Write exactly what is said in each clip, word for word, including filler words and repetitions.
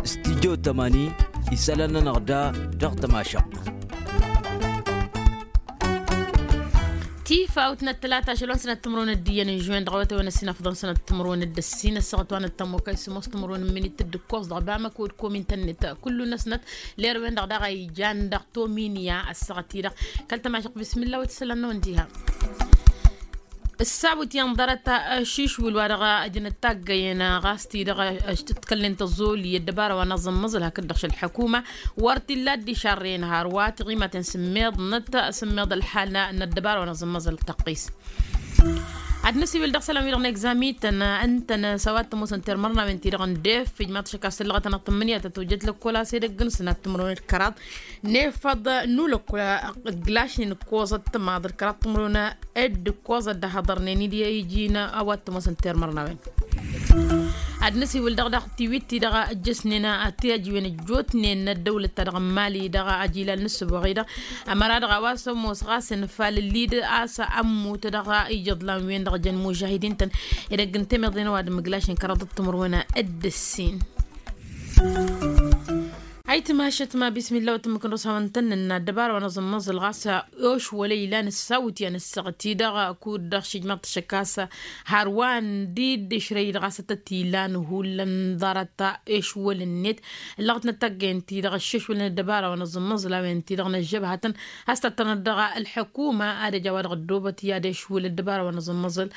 Stidyo tămani isălan-nănăɣ da dăɣ-tămašăɣt. Tifawt n-ăttălata ašăl wa n-sănat timǝrwen d-iyyăn n-žuwen dăɣ-awătay wa n-ăssin afḍăn sănat timǝrwen d-ăssin ăssaɣăt wa n-ăttămokay sămoos timǝrwen n-minit d-ǝkkoẓ dăɣ-bamăko d-komin tănnet. Kullu-năsnăt lerwen-dăɣ daɣ a ijan dăɣ-tominya ăssaɣăt-i-dăɣ kăl-tămašăɣt bismillah wa t-isălan-năwăn diha. Ǝssawǝt i-ănḍărăt ašišwǝl wa dăɣ-ăjnăt taggăyăn ɣas-t-i-dăɣ ăškălnen tăẓoli ăddăbara wa n-aẓǝmmăẓǝl hakd-dăɣ šăl ălḥăkuma wăr t-illa dd-išarrăyăn hărwa tiɣimaten sǝmmeḍnăt sǝmmeḍ ălḥal n-ăddăbara wa n-aẓǝmmăẓǝl tăqqis. Ad-nǝsiwǝl dăɣ-isălan-wi-dăɣ n-egzamităn ǝntăn s-a-wa t-ămoosăn termărnawen-ti-dăɣ n-def ijmaḍ šăkk a-s tǝllăɣăt-anăɣ tǝmmǝnǝya tăt-ojăt lăkkol a-s edăgg n-sănat timǝrwen d-kăraḍ nefăḍ n-ulăkkol ǝglašnen ǝkkoẓăt tămaḍ d-kăraḍ timǝrwen dd-ǝkkoẓăt d-ahăḍărnen-dd i-iji n-a-wa t-ămoosăn termărnawen. Ad-nǝsiwǝl dăɣ-daɣ tiwit-ti-dăɣ ǝjjăsnen tiyajiwen ăjjootnen n-ăddăwlăt-ta-dăɣ n-mali dăɣ-ajilal n-ǝssǝboɣ-i-dăɣ ămăra-dăɣ a-wa s-ămoos ɣas ănfalăl-i-dd a-s ămmut dăɣ-ijăḍlan-wen-dăɣ jăn mužahidin-tăn edăgg n-temeḍen ăwadǝm ǝglašnen kăraḍăt timǝrwen d-ǝssin. Ayǝtmašăt ma bismillah wa tǝmmǝk n-dăɣ-s hawăn-tăn-nǝnna ăddăbara wa n-aẓǝmmăẓǝl ɣas ošwălăy ilan ǝssawǝt i-ad-nǝssăɣăt-i-dăɣ kud-dăɣ šijmaḍ-t šăkk a-s hărwan d-dd-ǝšrăy-dd ɣas ad-tăt-ilan hullan ḍarăt ešwăl-net ǝllăɣăt n-ad-taggăyăn-t-i-dăɣ ăššešwălăn ăddăbara wa n-aẓǝmmăẓǝl a-wen-ti-dăɣ n-ăžžăbhatăn a-s tăttănăt dăɣ-ălḥăkuma ad-ăj a-wa dăɣ-ăddoobăt i-ad-ešwǝl ăddăbara wa n-aẓǝmmăẓǝl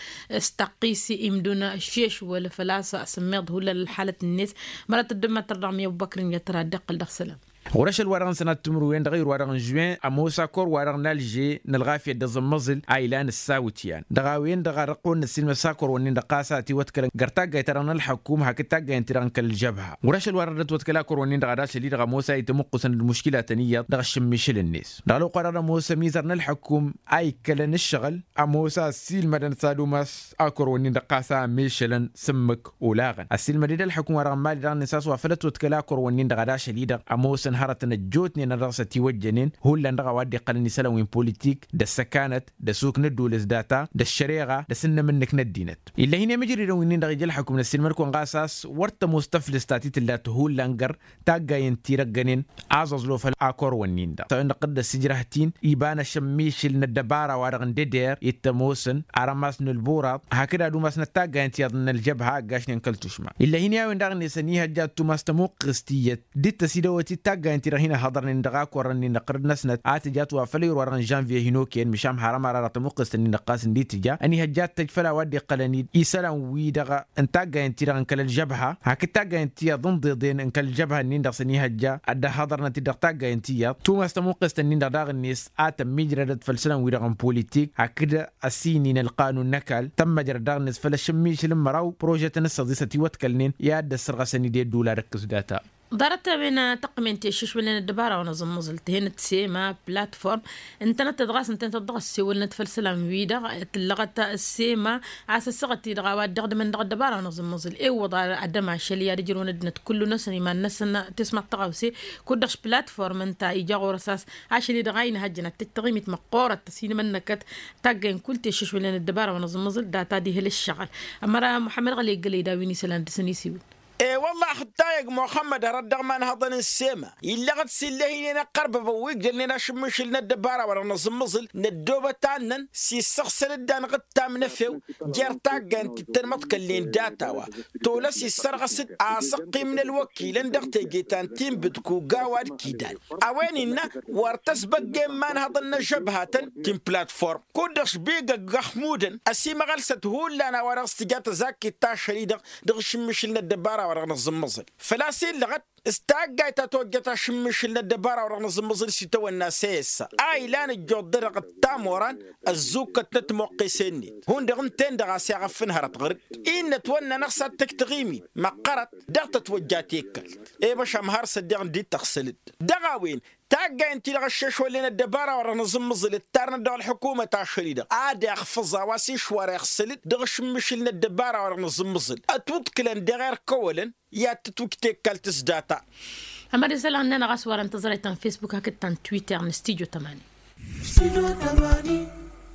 s-tăqqis imdǝwăn ăššešwăl făl-a-s sǝmmeḍ hullan ălḥalăt-net. Mărat ăddămmatăr dăɣ-mi ăbubăkr-in i-ad-tăra dd-iqqăl dăɣ-isălan. Ɣur-ašăl-wa-dăɣ n-sănat timǝrwen dăɣ-irwa-dăɣ n-žuwen ămoos akor-wa-dăɣ n-alže n-ălɣafyăt d-aẓǝmmăẓǝl a ilan ǝssawǝt i-an dăɣ-a-wen-dăɣ a dăɣ-kăwăn-năssilmăs akor-wǝnnin-dăɣ ɣas a ătiwăḍkălăn găr taggayt-ta-dăɣ n-ălḥăkum hakd taggayăn-ti-dăɣ n-kăl-ălžăbha. Ɣur-ašăl-wa-dăɣ dd-ătwăḍkăl akor-wǝnnin-dăɣ ad-ašăl-i-dăɣ ămoos a itămuqqǝsăn d-muškilatăn iyyăḍ dăɣ-ašǝmmišǝl-net dăɣ-ălwăqq-wa-dăɣ d-ămoos ămizăr n-ălḥăkum a ikkălăn ǝššăɣǝl ămoos a ăssiilmădăn s-ad-umas akor-wǝnnin-dăɣ ɣas a mešălăn s-ǝmmǝk olaɣăn ăssiilmăd-dd ălḥăkum-wa-dăɣ n-mali dăɣ-net a-s wa făl ătwăḍkăl akor-wǝnnin-dăɣ ad-ašăl-i-dăɣ ămoosăn hărătăn ăjjootnen ad-dăɣ-s ătiwăjjănen hullan dăɣ-a-wa dd-iqqălăn isălan wi n-politik d-ăssăkanăt d-asuk n-ădduul s-data d-ăššăreɣa d-asǝnnǝm ǝnnǝk n-ăddinăt. Ill'-e hin-i amǝjridăn wi-nin-dăɣ ija ălḥăkum n-ăssiilmăd-kăwăn ɣas a-s wăr tămoos tăflǝst ta t-tǝlla tǝhullan găr taggayen-ti-dăɣ gănen aẓăẓlo făll-akor-wǝnnin-dăɣ tănăqqăd d-ăssijrăh-t-in iba n-ašămmišǝl n-ăddăbara-wa-dăɣ n-deder i-t-ămoosăn arămas n-ălburaḍ hakd ad-umasnăt taggayen tiyyăḍ n-ălžăbha ăggašnen kăl-tušma. Ill'-e hin-i a-wen daɣ-net ănihăjja ad-tumas tămuqqǝst tiyyăt dd-tăsidăwăt-dd taggayen-ti-dăɣ hin-ăhhăḍărnen dăɣ-akor-nin-dăɣ ɣărăd-năsnăt a tǝja a-wa făll-ayǝr-wa-dăɣ n-žănvye hin-okăyăn măšan hărăm ara dăɣ-tămuqqǝst-nin-dăɣ ɣas ǝndi tǝja ănihăjja ad-tăj făll-a-wa dd-iqqălăn-dd isălan-wi-dăɣ n-taggayen-ti-dăɣ n-kăl-ălžăbha hakd taggayen tiyyăḍ ǝnḍeḍen n-kăl-ălžăbha-nin-dăɣ s-ănihăjja ad-dd-ăhhăḍărnăt-dd dăɣ-taggayen tiyyăḍ tumas tămuqqǝst-nin-dăɣ daɣ-net a tămmijrădăt făll-isălan-wi-dăɣ n-politik hakd ăsinin ălqanun n-ăkall tămmăjrăd daɣ-net făll-ašǝmmišǝl n-măraw prožetăn s-ăḍisăt iwăḍkălnen i-ad-dd-ăssărɣăsăn-dd i-ădduul ad-ăkk s-data. Ḍarăt-a-wen tăqqǝmen ti ăššăšwălnen ăddăbara wa n-aẓǝmmăẓǝl tǝhenăt sema platform ǝntănăt-tăt ɣas ǝntănăt-tăt dăɣ-ăssewălnăt făll-isălan-wi-dăɣ tǝllăɣăt sema a-s ăssaɣăt-i-dăɣ a-wa dd-iɣdǝmăn dăɣ-ăddăbara wa n-aẓǝmmăẓǝl ewăḍ ad-ămašăl i-ad-ǝjrǝwăn ăddinăt kullu-năsăn iman-năsăn tesmaḍt tăɣawse kud-dăɣ platform ǝnta ija ɣur-s a-s ašăl-i-dăɣ a inhăjjăn ad-tăj taɣimit măqqoorăt tăsinmănnăkăt taggayen kull ti ăššăšwălnen ăddăbara wa n-aẓǝmmăẓǝl data d-ihăl ǝššăɣǝl. Ămăra muḥămmăd ɣăli ǝggălăy d-a-wi n-isălan dăr-săn isiwǝl. E-wălla-ɣ dd-tayăg muxămmăd hărăt dăɣ-imanhăḍăn n-sema illăɣăt s-illăh-in-en ăqqărbăbăn wi ǝgdălnen ašǝmmišǝl n-ăddăbara-wa-dăɣ n-aẓǝmmăẓǝl n-ăddoobăt annăn s-issăɣsăl-dd anɣǝttam n-efew jer-taggayen ti t-ănmăḍkălnen data-wa tolăs issărɣăs-dd asăqqim n-ălwăkilăn dăɣ-teje ta n-tinbǝd kuga wa d-kidal. A-wen innă wăr tăsbăggen imanhăḍăn n-ăžžăbhatăn ti n-platform kud-dăɣ šbigăg ăxmudăn ăsimăɣălsăt hullan a-wa dăɣ-s tǝja tăzakkit ta ašăl-i-dăɣ dăɣ-ašǝmmišǝl n-ăddăbara-wa-dăɣ n-aẓǝmmăẓǝl făl-a-s illăɣăt s-taggayt ta tojjăt ašǝmmišǝl n-ăddăbara-wa-dăɣ n-aẓǝmmăẓǝl s-itawănna s-e-ăssa a ilan ǝjjuḍ-dăɣ d-tamorăn ăzzukkăt n-ătmoqqes-net hundăɣ ǝnta-en-dăɣ a-s iɣăffăn hărăt ɣăr-dd innă ătwănna-năɣ s-ad-tǝj taɣimit măqqărăt dăɣ-tătwăjja tekkalt. I-băšam har s-ăddiɣ ǝndi tăɣsăl-dd dăɣ-a-wen taggayen-ti-dăɣ ăššešwălnen ăddăbara-wa-dăɣ n-aẓǝmmǝẓǝl ǝttarnăt dăɣ-ălḥukumăt ašăl-i-dăɣ ad-iɣfǝẓ a-wa s-išwar iɣsǝl-dd dăɣ-ašǝmmǝšǝl n-ăddăbara-wa-dăɣ n-aẓǝmmǝẓǝl ătwǝḍkǝlăn dăɣ-erkăwălăn i-ad-tǝtwǝj tekkalt s-data. Ămăra isălan-nănăɣ a-s wărăn tăẓrayt ta n-fesbuk hakd ta n-twitter n-studyo tămani.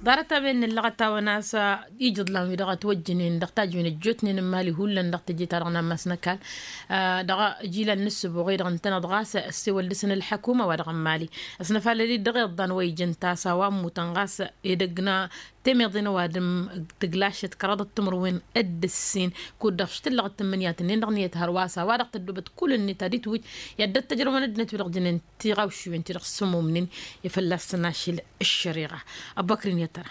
Ḍarăt-a-wen n-ǝllăɣăt-awăn a-s ijǝḍlan-wi-dăɣ ătwăjjǝnen dăɣ-tajǝwen ăjjootnen n-imali hullan dăɣ-teje-ta-dăɣ n-ammas n-ăkall. Dăɣ-ijilal n-ǝssǝboɣ-i-dăɣ ǝntăneḍ ɣas ăssewăl dăɣ-săn ǝlḥăkum a-wa dăɣ-n imali ăsnăfalăl-dd dăɣ-iḍḍan wa ijăn tasa wa ămmutăn ɣas edăgg n-temeḍe n-ăwadǝm tǝglašăt kăraḍăt timǝrwen d-ǝssin. Kud-dăɣ šitǝllăɣ d-tǝmmǝnǝyat-nin-dăɣ n-iyyăt hărwa a-s a-wa-dăɣ tăddoobăt kull-net ad-itwǝj i-ad-dd-ăttăjrăwăn ăddinăt-wi-dăɣ jănen tiɣawšiwen ti-dăɣ s-ămmumnen i-fălla-săn ašăl ăššăriɣa. Ăbubăkr-in i-ad-tăra.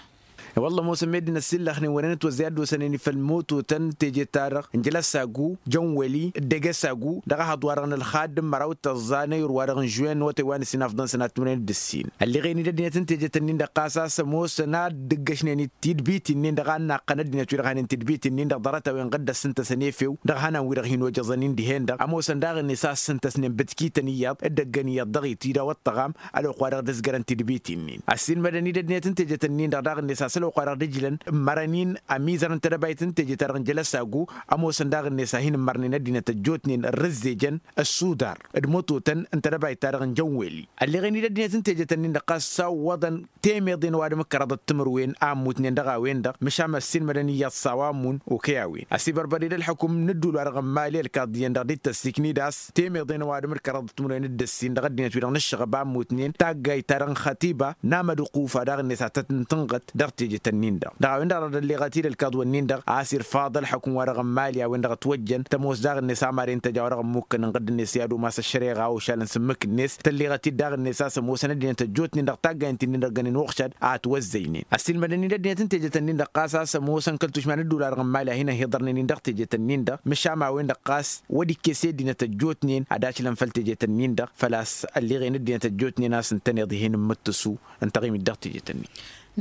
Wălla ămoosăn meddǝn ăssillăxnen wăren ătwăzzay ad-dd-osănen i-făll-mototăn teje-ta-dăɣ n-jălăsagu jănwăli d-egăsagu dăɣ-ehăḍ-wa-dăɣ n-ălxadd n-măraw d-tăẓẓa n-ayǝr-wa-dăɣ n-žuwen n-awătay wa n-ǝssin afḍăn sănat timǝrwen d-ǝssin. Ălleɣen-dd ăddinăt n-tejet-nin-dăɣ ɣas a-s ămoosăn ad-dd-ǝggăšnen-dd tidbit-nin-dăɣ a n-naqqăn ăddinăt wi-dăɣ hanen tidbit-nin-dăɣ ḍarăt-a-wen ɣǝdd ăssǝntăsăn efew dăɣ-ihănan-wi-dăɣ hin-ojăẓăn-in dihen-dăɣ ămoosăn daɣ-net a ǝssǝntăsnen bǝtkităn iyyăḍ d-ăggăn iyyăḍ dăɣ-itida wa ăṭṭăɣam ălwăqq-wa-dăɣ dd-ǝzgărăn tidbit-nin. Ăssiilmădăn-dd ăddinăt n-tejet-nin-dăɣ daɣ-net a-s ălwăqq-wa-dăɣ dd-ǝjlăn ǝmmărăn-in ămizăr n-tedăbayt n-teje-ta-dăɣ n-jălăsagu ămoosăn daɣ-net a hin-ǝmmărnen ăddinăt ăjjootnen ărrǝzzejăn ăssudar d-imototăn n-tedăbayt-ta-dăɣ n-jănweli. Ălleɣen-dd ăddinăt n-tejet-nin-dăɣ ɣas sawwăḍăn temeḍe n-ăwadǝm d-kăraḍăt timǝrwen a ǝmmutnen dăɣ-a-wen-dăɣ măšan ăssiilmădăn iyyăḍ s-a-wa ǝmmun okăy a-wen ăsibărbăd-dd ălxukum n-ǝddul-wa-dăɣ n-imali ălkaḍ iyyăn dăɣ-dd-tăssikni d-a-s temeḍe n-ăwadǝm d-kăraḍăt timǝrwen d-ǝssin dăɣ-ăddinăt-wi-dăɣ n-ǝššăɣăb a ǝmmutnen taggayt-ta-dăɣ n-xătiba n-amădăqufa daɣ-net a tăt-tǝntǝnɣăt dăɣ-tejet-nin-dăɣ. Dăɣ-a-wen-dăɣ a dăɣ-dd-ălleɣăt-dd ălkaḍ-wǝnnin-dăɣ a-s irfaḍ ălxukum-wa-dăɣ n-imali a-wen-dăɣ ătwăjjăn tămoos daɣ-net a maren tăjaw-dăɣ ǝmmukăn ǝnɣǝd-net i-ad-umas ăššăreɣa ošal n-sǝmmǝk-net tălleɣăt-dd daɣ-net a-s ămoosăn ăddinăt ăjjootnen dăɣ-taggaynt-nin-dăɣ ǝggănen uɣšad a ătwăzzăynen ăssiilmădăn-dd ăddinăt n-tejet-nin-dăɣ ɣas a-s ămoosăn kăl-tušma n-ǝddul-wa-dăɣ n-imali a hin-ăhiḍărnen-in dăɣ-tejet-nin-dăɣ măšan a-wen-dăɣ ɣas wăr dd-ikkes i-ăddinăt ăjjootnen ad-ašlăn făll-tejet-nin-dăɣ făl-a-s ălleɣen ăddinăt ăjjootnen a-s ǝntăneḍ ih'-en n-imǝttǝsu ǝnta ɣimit dăɣ-tejet-nin.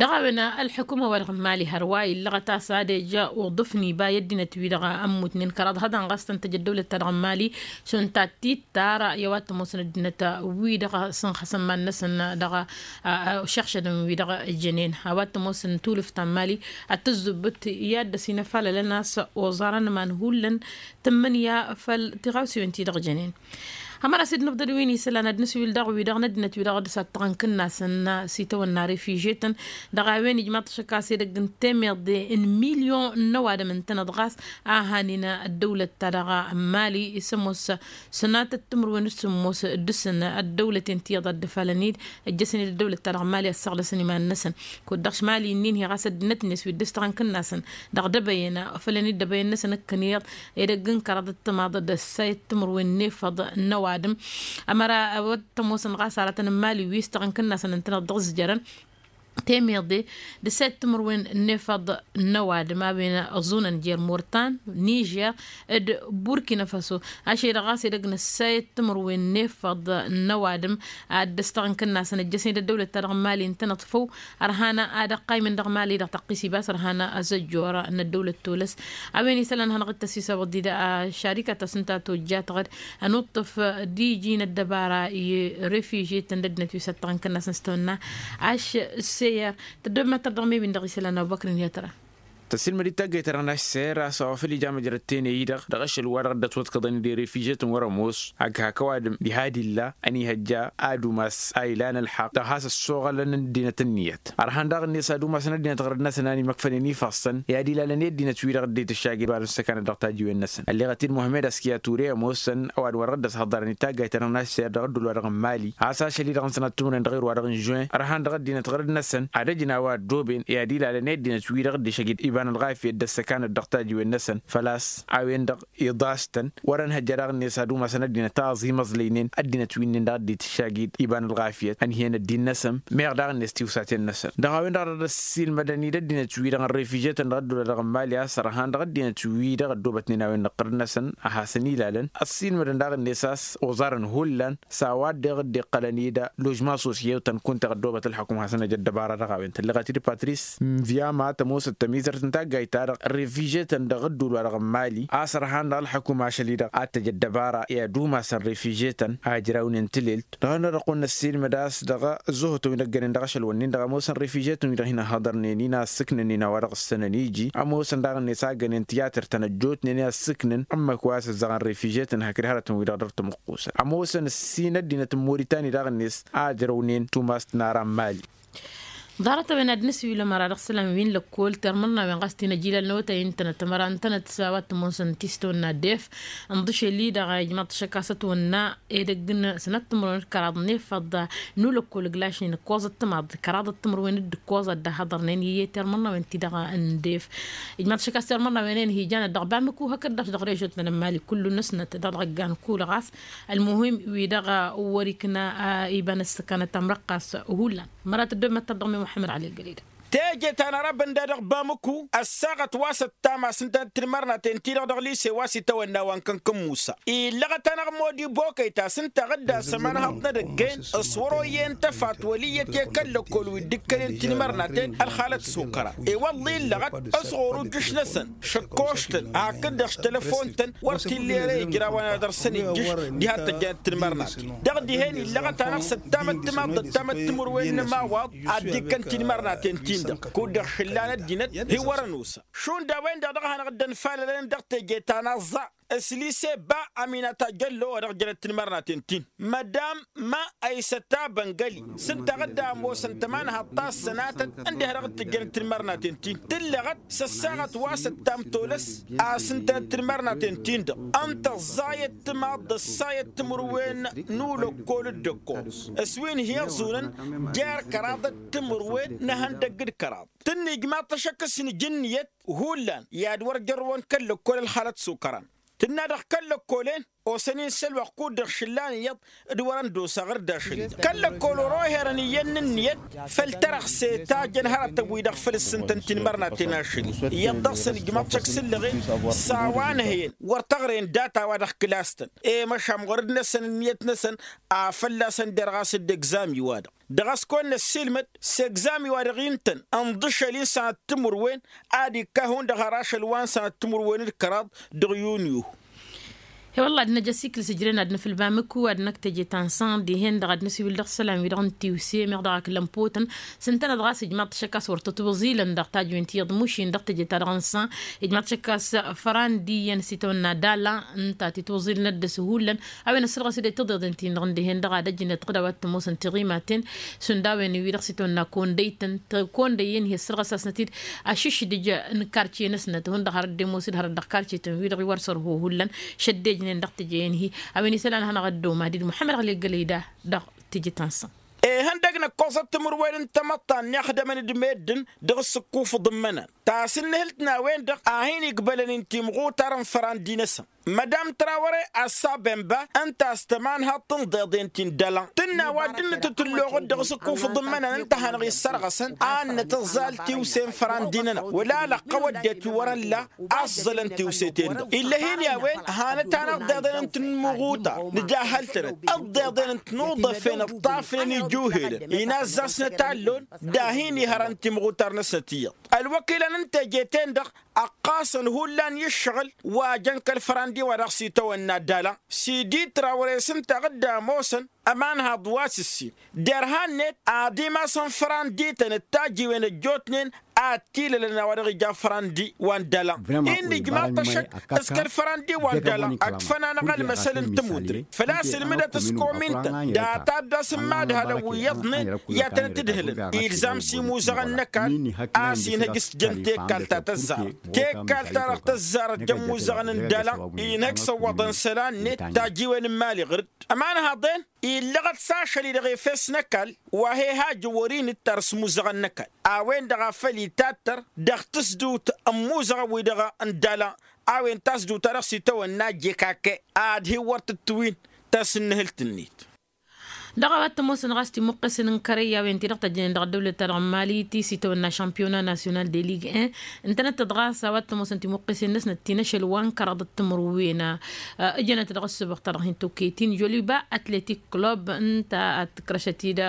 Dăɣ-a-wen ălḥukuma-wa-dăɣ n-imali hărwa illăɣăt a-s ad-ija uḍǝf n-iba i-ăddinăt-wi-dăɣ ămmutnen kăraḍ hăḍan ɣas tăn-tăj ăddăwlăt-ta-dăɣ n-imali šund ta t-dd-tara i-a-wa t-ămoosăn ăddinăt-wi-dăɣ sǝnxăsăn iman-năsăn dăɣ-išăɣšădăn wi-dăɣ jănen a-wa t-ămoosăn tulǝft ta n-imali ad-tǝzzǝbbǝt i-ad-dăr-s inăfalălăn a-s oẓarăn iman hullan tǝmmǝnǝya făll-tiɣawsiwen-ti-dăɣ jănen. Ămăra s-dd-nǝbḍǝd wi n-isălan ad-nǝswil daɣ wi-dăɣ n-ăddinăt wi-dăɣ dd-sattăɣăn kǝnnasăn s-itawănna refižetăn dăɣ-a-wen ijmaḍ-t ašăk a-s edăgg n-temeḍe n-milyon n-ăwadǝm ǝntăneḍ ɣas a hanen ăddăwlăt-ta-dăɣ n-imali s-ămoos sănatăt timǝrwen d-sǝmmos dăɣ-săn ăddăwlăten ti iyyăḍ a dd-ăfalăn-dd ăjjăsăn-dd ăddăwlăt-ta-dăɣ n-imali ăssaɣlăsăn iman-năsăn. Kud-dăɣ šmali-nin-hi ɣas ăddinăt-net wi dd-ăstăɣăn kǝnnasăn dăɣ-dăbăyăn fălăn-dd dăbăyăn-năsăn ǝkkăn iyyăḍ edăgg n-kăraḍăt timaḍ d-ăssayăt timǝrwen n-efăḍ n-ăwadǝm. Ămăra wăr t-ămoosăn ɣas aratăn n-imali wi ǝstăɣăn kǝnnasăn ǝntăneḍ dăɣ-ǝzjărăn temeḍe d-ăssayăt timǝrwen n-efăḍ n-ăwadǝm a-wen ăẓunăn jer-mortan nižer d-burkina faso. Ašăl-i-dăɣ ɣas edăgg n-ăssayăt timǝrwen n-efăḍ n-ăwadǝm ad-dd-ăstăɣăn kǝnnasăn ăjjăsnen d-ăddăwlăt-ta-dăɣ n-imali ǝntăneḍ făw ărhan ad-ăqqaymen dăɣ-imali-dăɣ tăqqis ibas ărhan ăzăjjor n-ăddăwlăt tolăs. A-wen isălan hanăɣ-dd-tăsisăbăḍ-dd ašarikat ta s-ǝnta tojjatăɣ-dd ănuṭṭăf d-iji n-ăddăbara i-refižetăn d-ăddinăt wi s-ăttăɣăn kănnasăn s-tawănna aššăyăr. Tăddobem ad-tărdăɣ mebin dăɣ-isălan abubăkr-in i-ad-tăra. Tăssilmăd-dd taggayt-ta-dăɣ n-aššăyăr a-s a-wa făl ija măjrăd tenăy-i-dăɣ dăɣ-ašăl-wa-dăɣ dd-ătwăḍkăḍăn d-erefižetăn wăr-ămoos ag hak ăwadǝm diha d-illa ănihăjja ad-umas a ilan ălḥăqq dăɣ-has ăssoɣălăn ăddinăt ǝnniyăt. Ărhan daɣ-net ad-umasăn ăddinăt ɣărăd-năsăn a n-imăkfănen ifassăn i-ad-ilalăn i-ăddinăt-wi-dăɣ dd-itǝššagǝd ibanăn s-ăkanăt dăɣ-tajiwen-năsăn ălleɣăt-dd muhămmed askiya ture ămoosăn ăwadǝm wa dăɣ-dd-ăshăḍărăn i-taggayt-ta-dăɣ n-aššăyăr dăɣ-ăddul wa dăɣ-n mali a-s ašăl-i-dăɣ n-sănat timǝrwen dăɣ-irwa dăɣ-n žuwen ărhan dăɣ-ăddinăt ɣărăd-năsăn ad-ăj n-a-wa ăddooben i-ad-ilalăn i-ăddinăt-wi-dăɣ dd-išăjjăd iba n-ălɣafyăt d-ăssăkanăt dăɣ-tajiwen-năsăn. Făl-a-s a-wen-dăɣ iḍastăn wăr-ănhăjja daɣ-net ad-umasăn ăddinăt a ăẓimăẓlăynen ăddinăt-wi-nin-dăɣ dd-itǝššagid iba n-ălɣafyăt ănhǝyăn ăddin-năsăn meɣ daɣ-net tiwsaten-năsăn. Dăɣ-a-wen-dăɣ a dăr-ăssiilmădăn-dd ăddinăt-wi-dăɣ n-refižetăn dăɣ-ăddula dăɣ-n mali a-s ărhan dăɣ-ăddinăt-wi-dăɣ ăddoobătnen a-wen n-iqqărăn-năsăn a hasăn-ilalăn ăssiilmădăn daɣ-net a-s oẓarăn hullan s-a-wa dd-iqqălăn-dd ložma s-osyewtăn kunta ăddoobăt ălḥukǝm hasăn-ăj ăddăbara dăɣ-a-wen tălleɣăt-dd patris n-vyama tămoosăt tămizărt n-taggayt-ta-dăɣ refižetăn dăɣ-ăddul wa dăɣ-n mali a-s ărhan dăɣ-ălḥukǝm ašăl-i-dăɣ ad-t-ăj ăddăbara i-ad-umasăn refižetăn a ǝjrawnen tǝlelt. Dăɣ-nărăqq wăr năssiilmăd a-s dăɣ-ăzzuhǝtăn wi n-ăggănen dăɣ-ašăl-wǝnnin-dăɣ ămoosăn refižetăn wi-dăɣ hin-ăhhăḍărnen-in a ǝssǝknănen a-wa dăɣ-ǝssănăn iji ămoosăn daɣ-net a ăggănen tiyatăr-tăn ăjjootnen i-ad-sǝknǝn ǝmmǝk wa s-ǝzzăɣăn refižetăn hakd hărătăn-wi-dăɣ dăr-tămăqqusăn ămoosăn ǝssin ăddinăt n-moritani daɣ-net a ǝjrăwnen tumast n-ara n-mali. Ḍarăt-a-wen ad-nǝswǝlăm ara dăɣ-isălan wi n-lăkkol termărnawen ɣas ti n-ajilal n-awătay ǝntănăt ămăra ǝntănăt s-a-wa t-ămoosăn ti s-tawănna ddef. Ǝnḍǝšel-i-dăɣ ijmaḍ-t ašăk a-s ătwănna edăgg n-sănat timǝrwen d-kăraḍ n-efăḍ n-ulăkkol ǝglašnen ǝkkoẓăt timaḍ kăraḍăt timǝrwen d-ǝkkoẓăt d-ahăḍărnen i-e termărnawen-ti-dăɣ n-ddef. Ijmaḍ-t ašăk a-s termărnawen-en hi-janăt dăɣ-bamǝku hakd-dăɣ dăɣ-režot n-ănmali kullu-năsnăt dăɣ-dăɣ ăggan kul ɣas. Ălmuhim wi-dăɣ uwărikna iba n-ăssăkanăt amrăqqas hullan. Măra tăddob măttăr dăɣ-mi muḥămmăd ɣali ăggăled. Teje ta n-arăbăn da dăɣ-bamǝku ăssaɣăt wa s-ăttam a-s ǝntănăt tinmărnaten-ti-dăɣ dăɣ-lise wa s-itawănna wa n-kăn-kăn-musa. Illăɣăt-anăɣ modi bokăy ta s-ǝnta a ɣǝdda s-ămanhăḍ n-edăgg-en s-wăr-oyyăn tăfat wăl' iyyăt i-kăl-lăkkol wi dd-ikkălen tinmărnaten ălxalăt s-okăra. I-wălla illăɣăt s-ɣur-ujjǝš-năsăn šăkkoštăn hakd-dăɣ s-telăfon-tăn wăr t-illa ere ijraw a n-ad-dăr-săn ijjǝš diha t-ăjjănăt tinmărnaten. Dăɣ-dihen illăɣăt-anăɣ s-ăttamăt timaḍt d-ăttamăt timǝrwen n-ămawaḍ ad-dd-ikkăn tinmărnaten-tin-dăɣ kud-dăɣ šǝllan ăddinăt hi-wăr-ănusa. Šund a-wen-dăɣ dăɣ-hanăɣ-dd-ănfalălăn dăɣ-teje ta n-aẓẓa s-lise ba amina tajăllo wa dăɣ-jănăt tinmărnaten-tin. Mădam ma ăysăt abăngăli s-ǝnta a ɣǝdda ămoosăn tămanhaḍt ta s-sănatăt ǝndiha dăɣ-t tǝjjănăt tinmărnaten-tin tǝllăɣăt s-ăssaɣăt wa s-ăttam tolăs a-s ǝntănăt tinmărnaten-tin-dăɣ ǝnta ăẓẓayăt timaḍ d-ăssayăt timǝrwen n-ulăkkol d-ǝkkoẓ s-wi n-hi-ăẓunăn jer-kăraḍăt timǝrwen n-ehăndăgg d-kăraḍ. Tǝnna ijmaḍ-t ašăk s-nǝj ǝnniyăt hullan i-ad-wăr jărrăwăn kăl-lăkkol ălxalăt s-okăran. Tǝnna-dăɣ kăl-lăkkolen osăn-in s-ălwăqq kud-dăɣ šǝllan iyyăḍ d-wărăn d-osa ɣǝr-dd ašăl-i-dăɣ kăl-lăkkol wăr-oherăn iyyăn n-ǝnniyăt făll-tărăɣse ta jăn hărătăn-wi-dăɣ făl ǝssǝntăn tinmărnaten ašăl-i iyyăḍ dăɣ-săn ijmaḍ-t šăkk s-ǝllăɣen s-a-wa n-ehăyăn wăr tăɣren data-wa-dăɣ kǝlas-tăn i-măšan ɣur-dd-năsăn ǝnniyăt-năsăn a fălla-săn derɣas dd-egzami-wa-dăɣ. Dăɣ-a-s kăwăn-năssiilmăd s-egzami-wa-dăɣ intăn ǝnḍǝšăl-i n-sănăt timǝrwen ad-ikka hundăɣ har ašăl wa n-sănăt timǝrwen d-kăraḍ dăɣ-yunyu. He-wălla ad-năj ăsikǝl s-ǝjren ad-nǝfǝl bamǝkku ad-năkk teje ta n-săn dihen-dăɣ ad-nǝsiwǝl dăɣ-isălan-wi-dăɣ n-tiwse meɣ dăɣ-ak lămpotăn s-ǝntănăt ɣas ǝjmaḍ-t ašăk a-s wăr tătwăẓilăn dăɣ-tajwen ti iyyăḍ mušin dăɣ-teje-ta-dăɣ n-săn. Ǝjmaḍ-t ašăk a-s fărandi iyyăn s-itawănna dala ǝnta titwăẓilnăt dăɣ-s hullan. A-wen ăssărɣăs-dd i-tiḍeḍen-tin-dăɣ n-dihen-dăɣ ad-ăjnăt ɣǝd a-wa t-ămoosăn tiɣimaten šund a-wen wi-dăɣ s-itawănna kondăy-tăn. Kondăy-en hi-ăssărɣăs-asnăt-dd ašǝšdǝj n-kartiye-năsnăt hundăɣ hărăt d-ămoos-dd hărăt dăɣ-kartiye-tăn wi-dăɣ i-wăr sărho hullan šăddejnen dăɣ-teje-en-hi. A-wen isălan ad-hanăɣ-ăddo madid muḥămmăd ɣăli ăggălăy da dăɣ-teje ta n-săn. Ihăndăg n-ǝkkoẓăt timǝrwen n-tamăḍt ta n-ixdămăn d-meddǝn dăɣ-s ǝkkufǝḍ n-imănan ta s-ǝnnǝhǝlt n-a-wen-dăɣ a hin-igbălăn intimɣutar n-fărandi-năsăn. Mădam trawăre assa bemba ǝnta a-s tămanhaḍt n-iḍeḍen ti n-dăla tǝnna wa dd-nǝtǝtǝlloɣăt dăɣ-s ǝkkufǝḍ n-imănan ǝnta a hanăɣ-issărɣăsăn ad-nǝtǝẓẓal tiwse n-fărandi-nănăɣ wăla lăqqăw ăddinăt wi wărăn la a ǝẓẓălăn tiwse-ten-dăɣ ill'-e-hin i-a-wen. Hanăt-anăɣ d-iḍeḍen n-tinmuɣuta nǝjahhăl-tănăt d-iḍeḍen n-tinuḍăfen ǝṭṭafnen ijuhelăn inazzasnăt allon dahin ihărăn timɣutar-năsnăt iyyăḍ. Ălwăkilăn n-teje-ten-dăɣ ăqqasăn hullan i-ǝššăɣǝl wa jăn kăl-fărandi wa dăɣ-s itawănna dala s-iditra wăr-e s-ǝnta ɣǝdda ămoosăn ămanhaḍ wa s-ǝssin derhan-net ad-imasăn fărandi-tăn d-tajiwen ăjjootnen ad-t-ilălăn a-wa dăɣ-ija fărandi wa n-dala. Innă ijmaḍ-t ašăk s-kăl-fărandi wa n-dala ăkfăn-anăɣ ălmăsăl n-tămutret făl-a-s ǝlmǝdăt s-komin-tăn data dd-asǝmmadhălăn wi iyyăḍnen i-ad-tănăt-ǝdhǝlăn ilzam s-imuzăɣăn n-ăkall a-s inhăj s-jăn tekkalt ta tăzzarăt tekkalt-ta-dăɣ tăzzarăt jăn imuzăɣăn n-dala inhăj s-ăwwăḍăn isălan-net tajiwen n-imali ɣǝr-dd ămanhăḍen illăɣăt s-ašăl-i-dăɣ efes n-ăkall wa he-hajăn wăr-inǝttar s-imuzăɣăn n-ăkall a-wen-dăɣ a făl itattăr dăɣ-tǝsdǝwt n-imuzăɣăn-wi-dăɣ n-dala. A-wen tasdǝwt-ta-dăɣ s-itawănna jekake ad-hin-wăr tǝttǝwin tasǝnnǝhǝlt-net. Dăɣ-a-wa t-ămoosăn ɣas timuqqesen n-kărăy a-wen-ti-dăɣ tăjjănen dăɣ-ăddăwlăt-ta-dăɣ n-mali ti s-itawănna šampiyona nasyonal de ligue en ǝntănăt-tăt ɣas a-wa t-ămoosăn timuqqesen-năsnăt ti n-ašăl wa n-kăraḍăt timǝrwen. Ǝjănăt dăɣ-ăssubăɣ-ta-dăɣ hin-tokketin joliba atletik club ǝnta ad-tǝkrăšăt-dd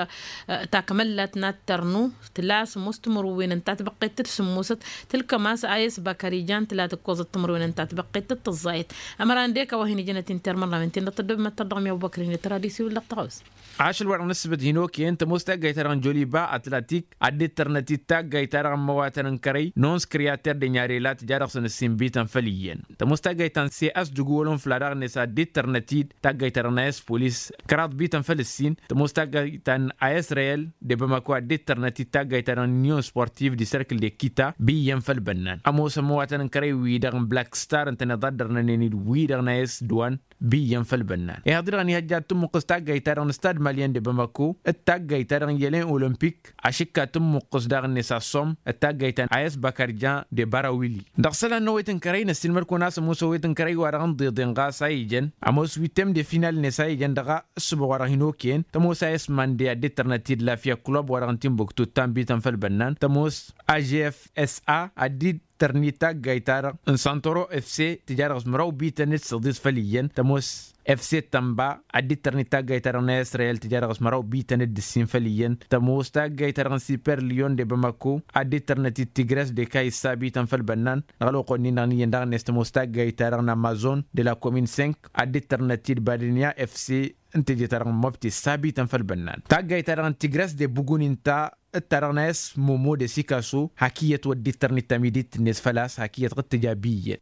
takmăllat n-ad-tărnu tǝla sǝmmos timǝrwen ǝnta tibăqqet d-sǝmmosăt tǝlkăm a-s a-s bakarijan tǝla tǝkkoẓăt timǝrwen ǝnta tibăqqet d-tǝẓẓayăt. Ămăra ǝndek a-wa hin-ijănăt inter mărnawen-ten-dăɣ tăddobem ad-tărdăɣ mi-abu băkrin d-tăra d-isiwǝl dăɣ-tăɣawsa. Ašăl-wa-dăɣ n-ǝssǝbǝt hin-okăyăn tămoos taggayt-ta-dăɣ n-joliba atlatik ad-dd-tărnăt-dd taggayt-ta-dăɣ n-imăwatăn n-kărăy n-ons kriyater de nyarela tǝja dăɣ-săn ǝssin bităn făll-iyyăn. Tămoos taggayt ta n-cs dugwolon fla daɣ-net ad-dd-tărnăt-dd taggayt-ta-dăɣ n-ayǝs polis kăraḍ bităn făll-ǝssin. Tămoos taggayt ta n-ayǝs reyel de bamako ad-dd-tărnăt-dd taggayt-ta-dăɣ n-union sportiv di serkǝl de kita bi iyyăn făll-bănnan. Ămoosăn imăwatăn n-kărăy-wi-dăɣ n-black star ǝntăneḍ a dd-ărnănen-dd wi-dăɣ n-ayǝs duwan bi iyyăn făll-bănnan. Ihaḍ-i-dăɣ ănihăjja ad-tǝmmǝqqǝs taggayt-ta-dăɣ n-stad malyan de bamako d-taggayt-ta-dăɣ n-yălen olimpik. Ašǝkka tǝmmuqqǝs daɣ-net assom d-taggayt ta n-ayǝs bakarja de barawili. Dăɣ-isălan n-ăwwet n-kărăy năssiinmăr-kăwăn a-s ămoos ăwwet n-kărăy wa dăɣ-n ḍeḍen ɣas a ijăn ămoos wittem de final-net a ijăn dăɣ-ăssăboɣ wa dăɣ-hin-okăyăn tămoos ayǝs mande ad-dd-tărnăt-dd lafya club wa dăɣ-n timbuktu d-tanbităn făll-bănnan tămoos ajf s a ad-dd-tărni taggayt-ta-dăɣ n-santoro fc tǝja dăɣ-s măraw bităn d-săḍis făll-iyyăn tămoos fc tănba ad-dd-tărni taggayt-ta-dăɣ n-israyel tǝja dăɣ-s măraw bităn d-ǝssin făll-iyyăn tămoos taggayt-ta-dăɣ n-siper lion de bamako ad-dd-tărnăt-dd tigres de kayǝssa bităn făll-bănnan. Dăɣ-ălwăqq-wen-in-dăɣ n-iyyăn daɣ-net tămoos taggayt-ta-dăɣ n-amazon de la comin cinq ad-dd-tărnăt-dd badǝnya fc n-teje-ta-dăɣ n-mobti ǝssa bităn făll-bănnan taggayt-ta-dăɣ n-tigres de bugun inta d-ta-dăɣ n-ayǝs momo de sikaso hak iyyăt wăr dd-tărnit tamidit-net făl-a-s hak iyyăt ɣǝttǝja bi iyyăn.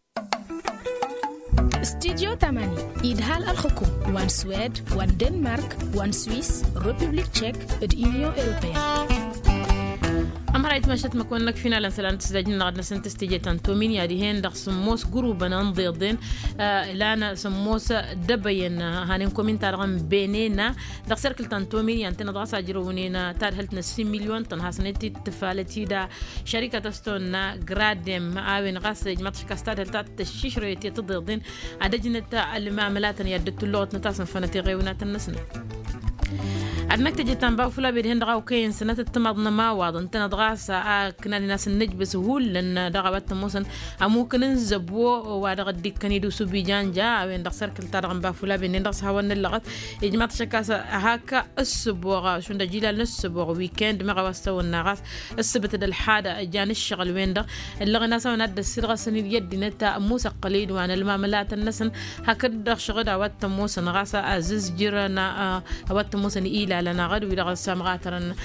Studyo tamani idhal ălxǝkum wa n-swed wa n-denmark wa n-swiss, republik tchek d-union europeen. Ămăra itmašăt măkwăn-năk finalăn sălan tǝsdajnăɣ ad-năsăn tǝstije ta n-tomin i-ad-ihen dăɣ-sǝmmos gurubăn ănḍeḍen. Lan sǝmmos dăbăyăn hanen komin-ta-dăɣ n-benena dăɣ-serkǝl ta n-tomin i-ad-tăn-ăḍɣas ajrăwnen tadhǝlt n-ăssin milyon tăn-hasăn-t-dd tǝfalăt-dd šărikăt s-tonna gradem a-wen ɣas ijmaḍ-t šăkk a-s tadhǝlt ta tăššišrăyăt i-tǝḍeḍen ad-ăjnăt ălmamălatăn i-ad-dd-tulluɣăt n-tasǝnfănăt iɣewnatăn-năsnăt. Ad-năk tejăt ta n-bafulabe dihen dăɣ-a okăyăn sănătăt timaḍ n-ămawaḍ ǝntăneḍ ɣas a ǝknanen a-s n-nǝjbǝs hullan dăɣ-a-wa t-ămoosăn ămukǝn n-zăbo wa dăɣ-dd-ikkăn idǝw s-ubijanja a-wen dăɣ-sărkǝl-ta-dăɣ n-bafulabe-nen dăɣ-s hawăn-nǝllăɣăt. Ijmaḍ-t šăkk a-s hak ǝssǝboɣ šund ăjilal n-ǝssǝboɣ wikend meɣ a-wa s-tawănna ɣas ǝssǝbǝt d-ălxadă jan ǝššăɣǝl-wen-dăɣ ǝllăɣen a-s a-wen ad-dd-ăssiilɣăsăn iyyăt dinăt musăqqǝl idwan ălmamălatăn-năsăn. Hakd-dăɣ šăɣǝd a-wa t-ămoosăn ɣas a ăzzǝzjǝrăn a-wa t-ămoosăn ilalăn aɣăd wi-dăɣ s-amɣatărăn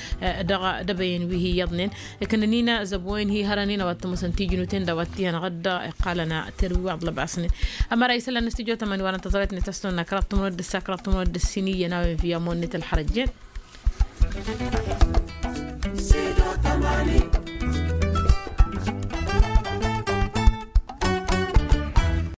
dăɣ-dăbăyăn wi hi-iyyăḍnen. Ikǝnnăn-in zăbo-in hi-hărăn-in a-wa t-ămoosăn tijnuten d-a-wa t-iyyăn aɣăd iqqalăn terwi wa ăḍlăbasnen. Ămăra isălan n-studyo tămani wa n-tăẓrayt-net a-s tăwănna kăraḍ tămănod d-ăssa kăraḍ tămănod d-ǝssin iyyăn a-wen via monnit ălxărăjjen.